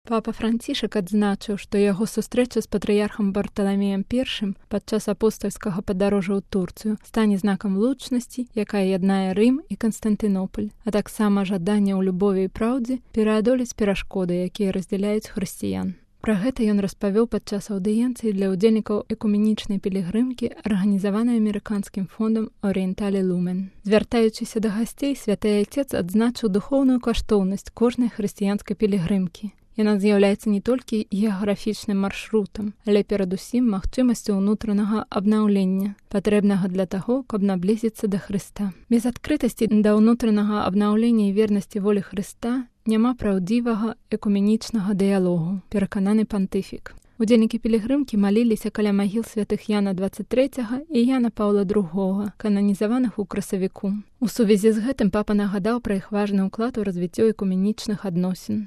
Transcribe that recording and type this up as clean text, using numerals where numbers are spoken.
Папа Францішак адзначыў, што яго сустрэча з патрыярхам Барталамеем I падчас апостальскага падарожжа ў Турцыю стане знакам лучнасці, якая яднае Рым і Канстантынополь, а таксама жаданне ў любові і праўдзе пераадолець перашкоды, якія раздзяляюць хрысціян. Пра гэта ён распавёў падчас аўдыенцыі для ўдзельнікаў экуменічнай пілігрымкі, арганізаванай амерыканскім фондам «Орієнталі Лумен». Звяртаючыся да гасцей, святы айцец адзначыў духоўную каштоўнасць кожнай хрысціянскай пілігрымкі. Яна з'яўляецца не толькі геаграфічным маршрутам, але перадусім магчымасцю ўнутранага абнаўлення, патрэбнага для таго, каб наблізіцца да Хрыста. Без адкрытасці да ўнутранага абнаўлення і вернасці волі Хрыста няма праўдзівага экуменічнага дыялогу, перакананы пантыфік. Удзельнікі пілігрымкі маліліся каля магіл святых Яна 23 і Яна Паўла II, кананізаваных у красавіку. У сувязі з гэтым папа нагадаў пра іх важны ўклад у развіццё экуменічных адносін.